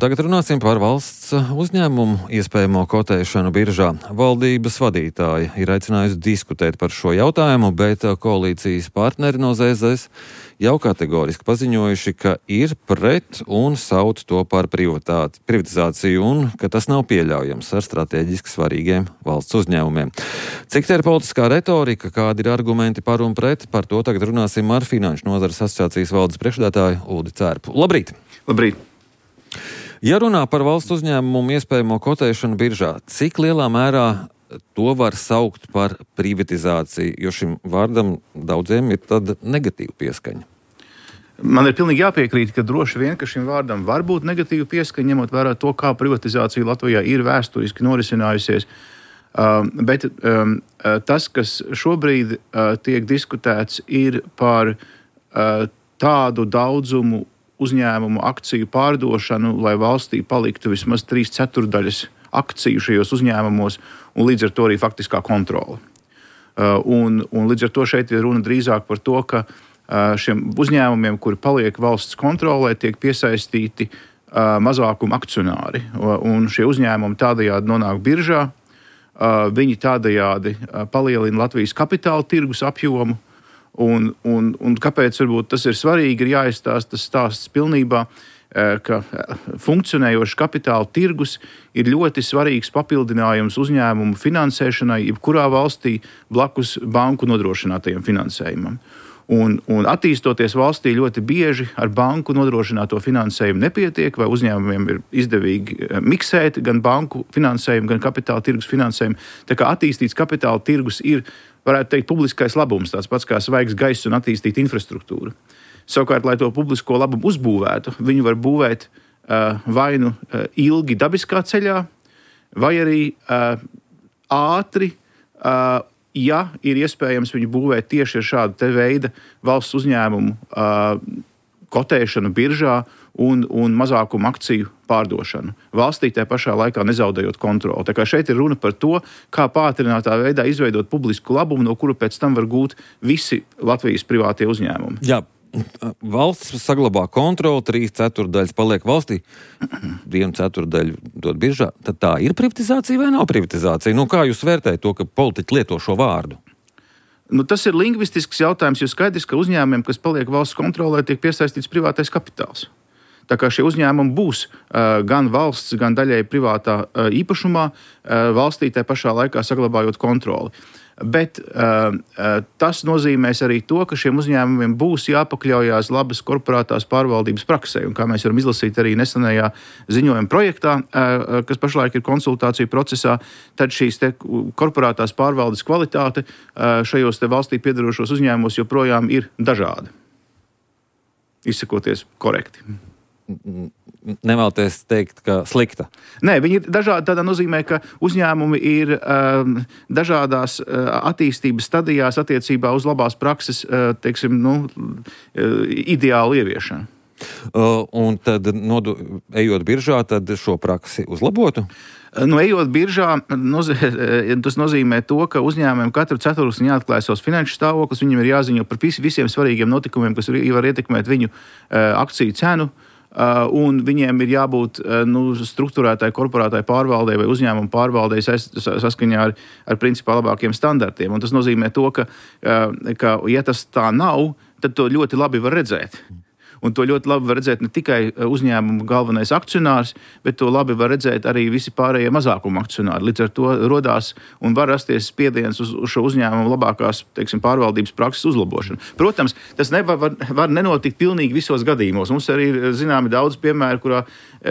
Tagad runāsim par valsts uzņēmumu iespējamo kotēšanu biržā. Valdības vadītāji ir aicinājusi diskutēt par šo jautājumu, bet koalīcijas partneri no ZZS jau kategoriski paziņojuši, ka ir pret un sauc to par privatizāciju un ka tas nav pieļaujams ar strateģiski svarīgiem valsts uzņēmumiem. Cik te ir politiskā retorika, kādi ir argumenti par un pret, par to tagad runāsim ar Finanšu nozares asociācijas valdes priekšsēdētāju Uldi Cērpu. Labrīt! Labrīt! Ja runā par valsts uzņēmumu iespējamo kotēšanu biržā, cik lielā mērā to var saukt par privatizāciju, jo šim vārdam daudziem ir tāda negatīva pieskaņa? Man ir pilnīgi jāpiekrīt, ka droši vien, ka šim vārdam var būt negatīva pieskaņa, ņemot vērā to, kā privatizācija Latvijā ir vēsturiski norisinājusies. Bet tas, kas šobrīd tiek diskutēts, ir par tādu daudzumu uzņēmumu akciju pārdošanu, lai valstī paliktu vismaz 3/4 akciju šajos uzņēmumos, un līdz ar to arī faktiskā kontrole. Un līdz ar to šeit ir runa drīzāk par to, ka šiem uzņēmumiem, kuri paliek valsts kontrolē, tiek piesaistīti mazākuma akcionāri. Un šie uzņēmumi tādējādi nonāk biržā, viņi tādējādi palielina Latvijas kapitāla tirgus apjomu. Un kāpēc varbūt tas ir svarīgi, ir jāizstāsta tas stāsts pilnībā, ka funkcionējošs kapitāla tirgus ir ļoti svarīgs papildinājums uzņēmumu finansēšanai, jebkurā valstī blakus banku nodrošinātajam finansējumam. Un attīstoties valstī ļoti bieži ar banku nodrošināto finansējumu nepietiek, vai uzņēmumiem ir izdevīgi miksēt gan banku finansējumu, gan kapitāla tirgus finansējumu. Tā kā attīstīts kapitāla tirgus ir, varētu teikt, publiskais labums, tāds pats kā svaigs gaiss un attīstīta infrastruktūra. Savukārt, lai to publisko labumu uzbūvētu, viņu var būvēt vai nu ilgi dabiskā ceļā, vai arī ātri, ja ir iespējams viņu būvēt tieši ar šādu te veida valsts uzņēmumu kotēšanu biržā un mazākumu akciju pārdošanu. Valstī tajā pašā laikā nezaudējot kontroli. Tā kā šeit ir runa par to, kā pātrinātā veidā izveidot publisku labumu, no kura pēc tam var gūt visi Latvijas privātie uzņēmumi. Jā. Valsts saglabā kontroli, 3/4 paliek valstī, 1/4 dod biržā. Tad tā ir privatizācija vai nav privatizācija? Kā jūs vērtējat to, ka politiķi lieto šo vārdu? Tas ir lingvistisks jautājums, jo skaidrs, ka uzņēmumiem, kas paliek valsts kontrolē, tiek piesaistīts privātais kapitāls. Tā kā šie uzņēmumi būs gan valsts, gan daļēji privātā īpašumā, valstī tajā pašā laikā saglabājot kontroli. Bet tas nozīmēs arī to, ka šiem uzņēmumiem būs jāpakļaujās labas korporātās pārvaldības praksē. Un kā mēs varam izlasīt arī nesenajā ziņojuma projektā, kas pašlaik ir konsultāciju procesā, tad šīs te korporātās pārvaldes kvalitāte šajos te valstī piedarošos uzņēmumos joprojām ir dažāda. Izsakoties korekti. Nevēlaties teikt, ka slikta? Nē, viņi ir dažādi tādā nozīmē, ka uzņēmumi ir dažādās attīstības stadijās attiecībā uz labās prakses, ideālu ieviešanu. Un tad, ejot biržā, tad šo praksi uzlabotu? Ejot biržā, tas nozīmē to, ka uzņēmumiem katru ceturksni jāatklāj savs finanšu stāvoklis, viņiem ir jāziņo par visiem svarīgiem notikumiem, kas var ietekmēt viņu akciju cenu. Un viņiem ir jābūt struktūrētai korporātai pārvaldei vai uzņēmumu pārvaldei saskaņā ar principā labākiem standartiem. Un tas nozīmē to, ka ja tas tā nav, tad to ļoti labi var redzēt. Un to ļoti labi var redzēt ne tikai uzņēmuma galvenais akcionārs, bet to labi var redzēt arī visi pārējie mazākuma akcionāri. Līdz ar to rodās un var rasties spiediens uz šo uzņēmumu labākās, pārvaldības prakses uzlabošanu. Protams, tas var nenotikt pilnīgi visos gadījumos. Mums arī ir zināmi daudz piemēru,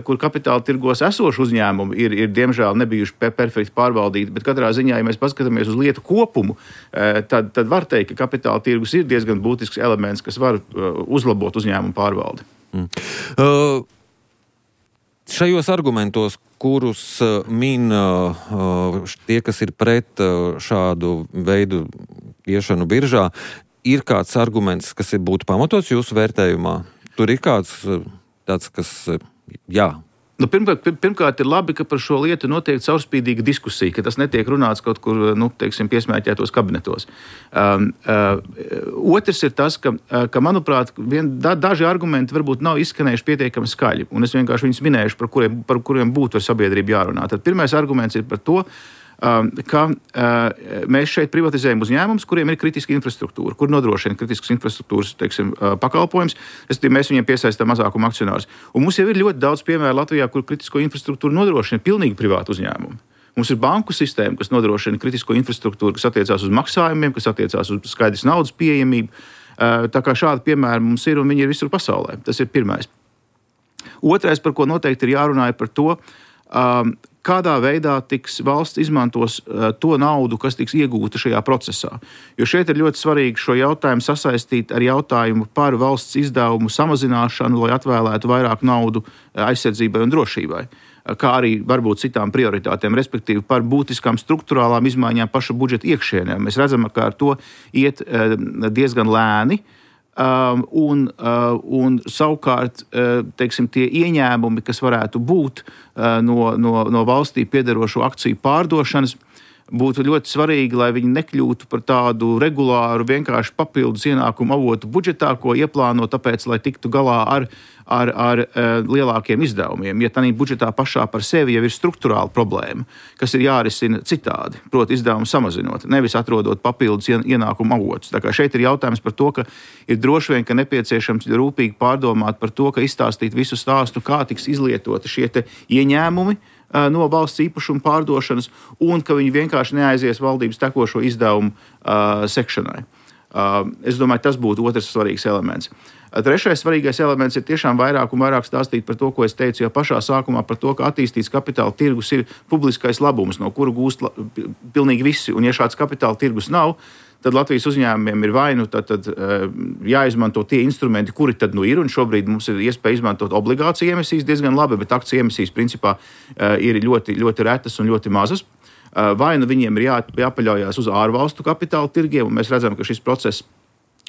kur kapitāla tirgos esoši uzņēmumi ir diemžēl nebijuši perfekti pārvaldīti, bet katrā ziņā, ja mēs paskatāmies uz lietu kopumu, tad var teikt, ka kapitāla tirgus ir diezgan būtisks elements, kas var uzlabot uzņēmumu pārvaldi. Šajos argumentos, kurus min tie, kas ir pret šādu veidu iešanu biržā, ir kāds arguments, kas būtu pamatots jūsu vērtējumā? Tur ir kāds tāds, kas, jā, Nu, pirmkārt, ir labi, ka par šo lietu notiek caurspīdīga diskusija, ka tas netiek runāts kaut kur, piesmēķētos kabinetos. Otrs ir tas, ka manuprāt, daži argumenti varbūt nav izskanējuši pietiekami skaļi, un es vienkārši viņus minēšu, par kuriem būtu ar sabiedrību jārunā. Tad pirmais arguments ir par to, ka mēs šeit privatizējam uzņēmumus, kuriem ir kritiska infrastruktūra, kur nodrošina kritiskas infrastruktūras pakalpojums. Mēs viņiem piesaistām mazākumu akcionārus. Un mums jau ir ļoti daudz piemēru Latvijā, kur kritisko infrastruktūru nodrošina pilnīgi privāti uzņēmumi. Mums ir banku sistēma, kas nodrošina kritisko infrastruktūru, kas attiecās uz maksājumiem, kas attiecās uz skaidras naudas pieejamību. Tā kā šādi piemēri mums ir un viņi ir visur pasaulē. Tas ir pirmais. Otrais, par ko noteikti ir jārunā, ir par to, kādā veidā valsts izmantos to naudu, kas tiks iegūta šajā procesā. Jo šeit ir ļoti svarīgi šo jautājumu sasaistīt ar jautājumu par valsts izdevumu samazināšanu, lai atvēlētu vairāk naudu aizsardzībai un drošībai, kā arī varbūt citām prioritātēm, respektīvi par būtiskām struktūrālām izmaiņām paša budžeta iekšienē. Mēs redzam, ka ar to iet diezgan lēni. Un savukārt, tie ieņēmumi, kas varētu būt no valstī piederošo akciju pārdošanas, būtu ļoti svarīgi, lai viņi nekļūtu par tādu regulāru, vienkārši papildus ienākumu avotu budžetā, ko ieplāno tāpēc, lai tiktu galā ar lielākiem izdevumiem. Ja tādā budžetā pašā par sevi jau ir struktūrāla problēma, kas ir jārisina citādi, proti izdevumu samazinot, nevis atrodot papildus ienākumu avotus. Tā kā šeit ir jautājums par to, ka ir droši vien, ka nepieciešams rūpīgi pārdomāt par to, ka izstāstīt visu stāstu, kā tiks izlietoti šie ieņēmumi no valsts īpašuma pārdošanas, un ka viņi vienkārši neaizies valdības tekošo izdevumu sekšanai. Es domāju, tas būtu otrs svarīgs elements. Trešais svarīgais elements ir tiešām vairāk un vairāk stāstīt par to, ko es teicu jau pašā sākumā, par to, ka attīstīts kapitāla tirgus ir publiskais labums, no kura gūst pilnīgi visi. Un ja šāds kapitāla tirgus nav, tad Latvijas uzņēmumiem ir vai nu tad jāizmanto tie instrumenti, kuri tad ir, un šobrīd mums ir iespēja izmantot obligāciju emisijas diezgan labi, bet akciju emisijas principā ir ļoti, ļoti retas un ļoti mazas. Vai nu viņiem ir jāpaļaujas uz ārvalstu kapitāla tirgiem, un mēs redzam, ka šis process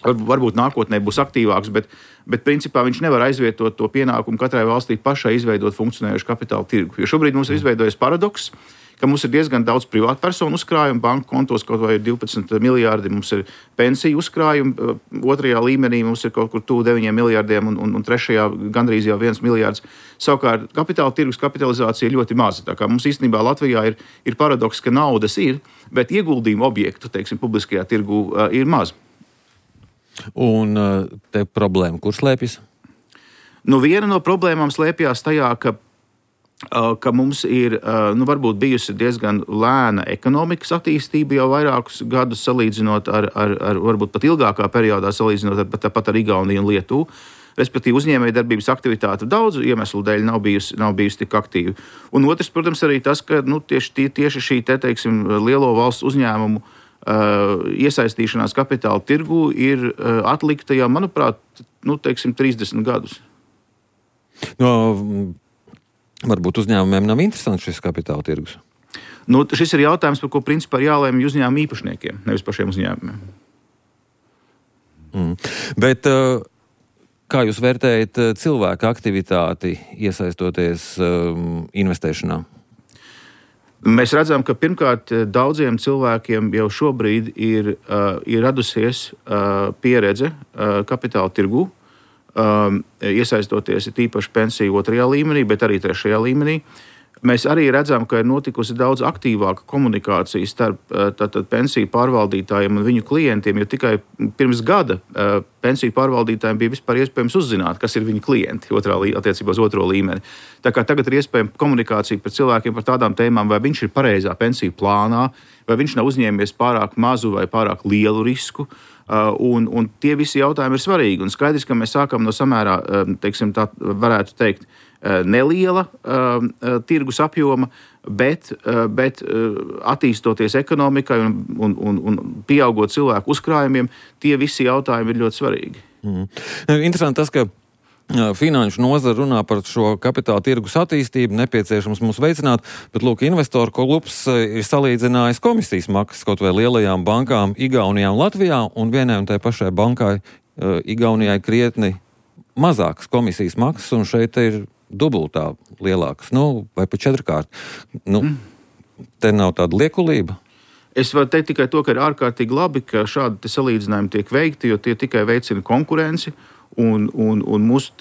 varbūt nākotnē būs aktīvāks, bet principā viņš nevar aizvietot to pienākumu katrai valstī pašai izveidot funkcionējošu kapitāla tirgu. Jo šobrīd mums ir izveidojies paradoks, ka mums ir diezgan daudz privātpersonu uzkrājumu, banku kontos kaut vai ir 12 miljārdi, mums ir pensiju uzkrājumi, otrajā līmenī mums ir kaut kur tuvu 9 miljārdiem un trešajā gandrīz jau 1 miljārds. Savukārt kapitāla tirgus kapitalizācija ir ļoti maza. Tā kā mums īstenībā Latvijā ir paradoks, ka naudas ir, bet ieguldījumu objektu, publiskajā tirgu ir maz. Un te problēma, kur slēpjas? Viena no problēmām slēpjas tajā, ka mums ir varbūt bijusi diezgan lēna ekonomikas attīstība jau vairākus gadus salīdzinot ar varbūt pat ilgākā periodā salīdzinot pat ar Igauniju un Lietuvu. Respektīvi, uzņēmējdarbības aktivitāte daudzu iemeslu dēļ nav bijusi tik aktīva. Un otrs, protams, arī tas, ka tieši šī lielo valsts uzņēmumu iesaistīšanās kapitāla tirgu ir atlikta jau, manuprāt, 30 gadus. Varbūt uzņēmumiem nav interesants šis kapitāla tirgus? Šis ir jautājums, par ko principā ir jālēmj uzņēmumu īpašniekiem, nevis pašiem uzņēmumiem. Bet kā jūs vērtējat cilvēku aktivitāti iesaistoties investēšanā? Mēs redzam, ka pirmkārt daudziem cilvēkiem jau šobrīd ir radusies pieredze kapitāla tirgū, iesaistoties tīpaši pensiju 2. līmenī, bet arī 3. līmenī. Mēs arī redzam, ka ir notikusi daudz aktīvāka komunikācija starp pensiju pārvaldītājiem un viņu klientiem, jo tikai pirms gada pensiju pārvaldītājiem bija vispār iespējams uzzināt, kas ir viņu klienti attiecībā uz 2. līmeni. Tā kā tagad ir iespējama komunikācija par cilvēkiem par tādām tēmām, vai viņš ir pareizā pensiju plānā, vai viņš nav uzņēmies pārāk mazu vai pārāk lielu risku. Un tie visi jautājumi ir svarīgi. Un skaidrs, ka mēs sākam no samērā, tā varētu teikt, neliela tirgus apjoma, bet attīstoties ekonomikai un pieaugot cilvēku uzkrājumiem, tie visi jautājumi ir ļoti svarīgi. Interesanti tas, ka finanšu nozara runā par šo kapitāla tirgus attīstību, nepieciešams mums veicināt, bet lūk, investoru klubs ir salīdzinājis komisijas maksas kaut vai lielajām bankām Igaunijā un Latvijā, un vienai un tai pašai bankai Igaunijai krietni mazākas komisijas maksas, un šeit ir dubultā lielākas, vai pa 4-kārt. Te nav tāda liekulība. Es varu teikt tikai to, ka ir ārkārtīgi labi, ka šādi salīdzinājumi tiek veikti, jo tie tikai veicina konkurenci. Un mūsu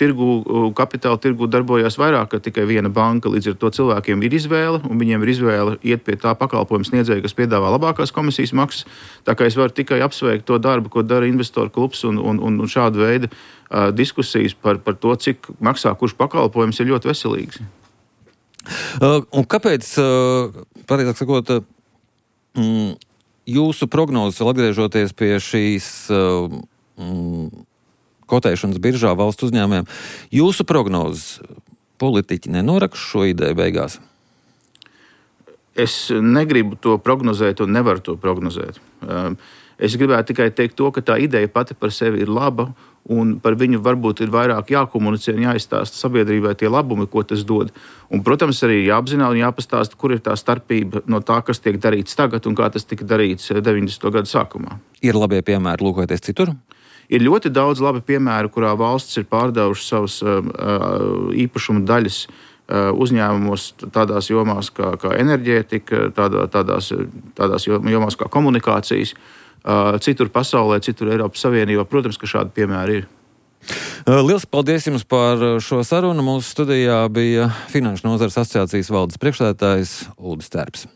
kapitāla tirgu darbojas vairāk kā tikai viena banka. Līdz ar to cilvēkiem ir izvēle, un viņiem ir izvēle iet pie tā pakalpojuma sniedzēja, kas piedāvā labākās komisijas maksas. Tā kā es varu tikai apsveikt to darbu, ko dara investoru klubs, un šāda veida diskusijas par to, cik maksā kurš pakalpojums, ir ļoti veselīgs. Un kāpēc, pareizāk sakot, jūsu prognozes, atgriežoties pie šīs kotēšanas biržā valsts uzņēmumiem, jūsu prognozes politiķi nenorakš šo ideju beigās? Es negribu to prognozēt un nevaru to prognozēt. Es gribētu tikai teikt to, ka tā ideja pati par sevi ir laba, un par viņu varbūt ir vairāk jākomunicē un jāizstāsta sabiedrībai tie labumi, ko tas dod. Un, protams, arī jāapzinās un jāpastāsta, kur ir tā starpība no tā, kas tiek darīts tagad un kā tas tika darīts 90. gadu sākumā. Ir labie piemēri, lūkoties citur? Ir ļoti daudz labi piemēru, kurā valsts ir pārdevušas savas īpašuma daļas uzņēmumos tādās jomās kā enerģētika, tādās jomās kā komunikācijas. Citur pasaulē, citur Eiropas Savienībā, protams, ka šādi piemēri ir. Liels paldies jums par šo sarunu. Mūsu studijā bija Finanšu nozares asociācijas valdes priekšsēdētājs Uldis Terps.